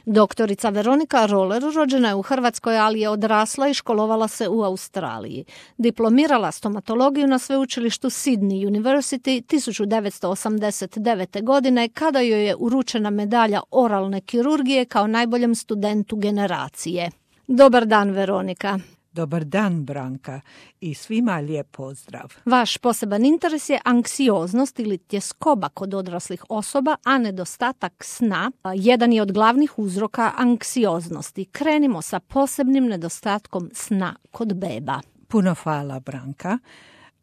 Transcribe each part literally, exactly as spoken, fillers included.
Doktorica Veronika Roller rođena je u Hrvatskoj, ali je odrasla i školovala se u Australiji. Diplomirala stomatologiju na sveučilištu Sydney University tisuću devetsto osamdeset devete. godine kada joj je uručena medalja oralne kirurgije kao najboljem studentu generacije. Dobar dan, Veronika. Dobar dan, Branka, i svima lijep pozdrav. Vaš poseban interes je anksioznost ili tjeskoba kod odraslih osoba, a nedostatak sna jedan je od glavnih uzroka anksioznosti. Krenimo sa posebnim nedostatkom sna kod beba. Puno hvala, Branka.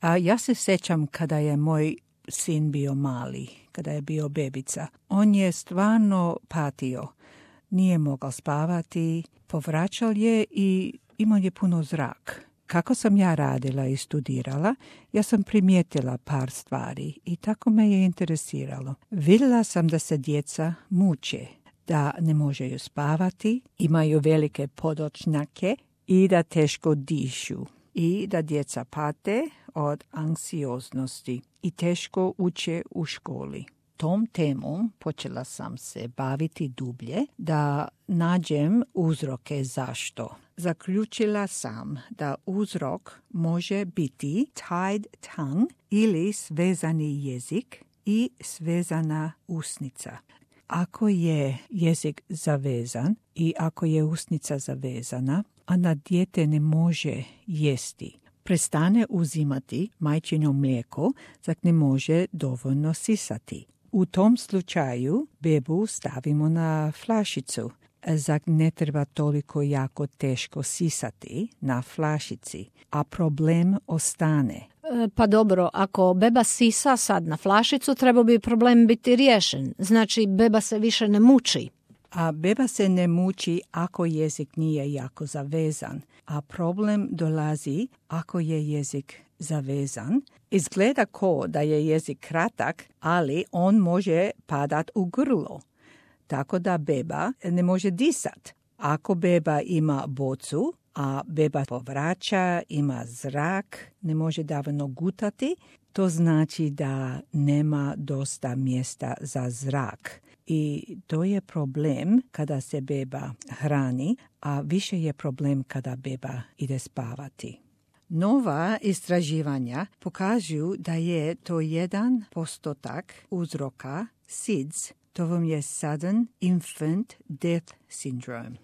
A ja se sjećam kada je moj sin bio mali, kada je bio bebica. On je stvarno patio. Nije mogao spavati, povraćao je i imao je puno zrak. Kako sam ja radila i studirala, ja sam primijetila par stvari i tako me je interesiralo. Vidjela sam da se djeca muče, da ne možeju spavati, imaju velike podočnjake i da teško dišu. I da djeca pate od anksioznosti i teško uče u školi. Tom temom počela sam se baviti dublje da nađem uzroke zašto. Zaključila sam da uzrok može biti tied tongue ili svezani jezik i svezana usnica. Ako je jezik zavezan i ako je usnica zavezana, onda dijete ne može jesti. Prestane uzimati majčino mlijeko, zak ne može dovoljno sisati. U tom slučaju bebu stavimo na flašicu. Zak ne treba toliko jako teško sisati na flašici, a problem ostane. E, pa dobro, ako beba sisa sad na flašicu, treba bi problem biti riješen. Znači, beba se više ne muči. A beba se ne muči ako jezik nije jako zavezan, a problem dolazi ako je jezik zavezan. Izgleda ko da je jezik kratak, ali on može padat u grlo, tako da beba ne može disat. Ako beba ima bocu, a beba povraća, ima zrak, ne može dovoljno gutati, to znači da nema dosta mjesta za zrak. I to je problem kada se beba hrani, a više je problem kada beba ide spavati. Nova istraživanja pokažu da je to jedan postotak uzroka S I D S, to vam je Sudden Infant Death Syndrome.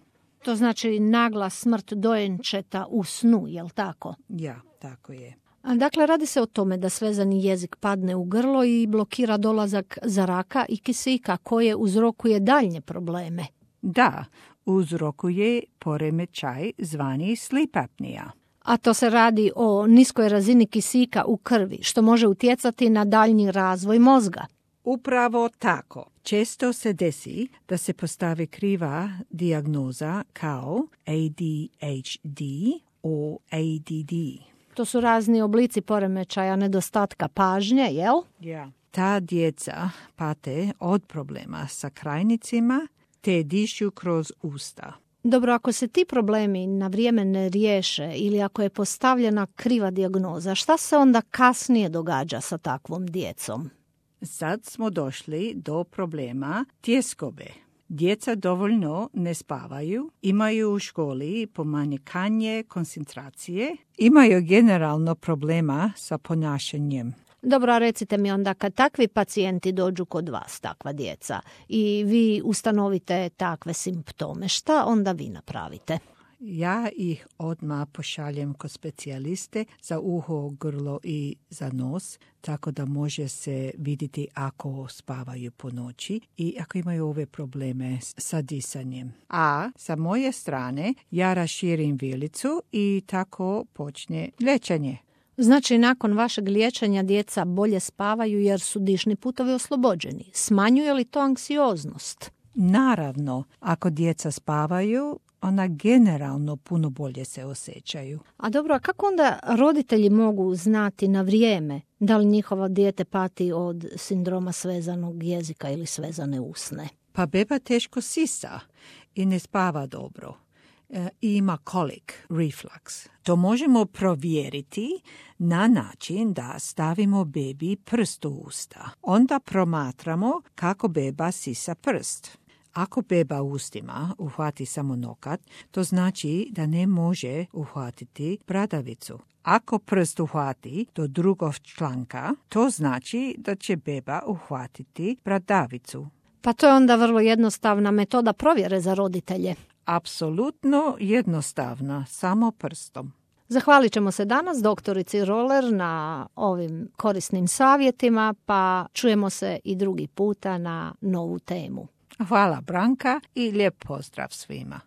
To znači nagla smrt dojenčeta u snu, jel tako? Ja, tako je. A dakle, radi se o tome da svezani jezik padne u grlo i blokira dolazak zraka i kisika koje uzrokuje daljnje probleme. Da, uzrokuje poremećaj zvani sleep apnea. A to se radi o niskoj razini kisika u krvi, što može utjecati na daljnji razvoj mozga. Upravo tako. Često se desi da se postavi kriva dijagnoza kao A D H D o A D D. To su razni oblici poremećaja nedostatka pažnje, jel? Ja. Ta djeca pate od problema sa krajnicima te dišu kroz usta. Dobro, ako se ti problemi na vrijeme ne riješe ili ako je postavljena kriva dijagnoza, šta se onda kasnije događa sa takvom djecom? Sad smo došli do problema tjeskobe. Djeca dovoljno ne spavaju, imaju u školi pomanjkanje koncentracije, imaju generalno problema sa ponašanjem. Dobro, recite mi onda kad takvi pacijenti dođu kod vas, takva djeca, i vi ustanovite takve simptome, šta onda vi napravite? Ja ih odmah pošaljem kod specijaliste za uho, grlo i za nos, tako da može se vidjeti ako spavaju po noći i ako imaju ove probleme sa disanjem. A sa moje strane ja raširim vilicu i tako počne liječenje. Znači, nakon vašeg liječenja djeca bolje spavaju jer su dišni putovi oslobođeni. Smanjuje li to anksioznost? Naravno, ako djeca spavaju, ona generalno puno bolje se osjećaju. A dobro, a kako onda roditelji mogu znati na vrijeme da li njihovo dijete pati od sindroma svezanog jezika ili svezane usne? Pa beba teško sisa i ne spava dobro. E, ima kolik, reflux. To možemo provjeriti na način da stavimo bebi prst u usta. Onda promatramo kako beba sisa prst. Ako beba ustima uhvati samo nokat, to znači da ne može uhvatiti bradavicu. Ako prst uhvati do drugog članka, to znači da će beba uhvatiti bradavicu. Pa to je onda vrlo jednostavna metoda provjere za roditelje. Apsolutno jednostavna, samo prstom. Zahvalit ćemo se danas doktorici Roller na ovim korisnim savjetima, pa čujemo se i drugi puta na novu temu. Hvala Branka i lijep pozdrav svima.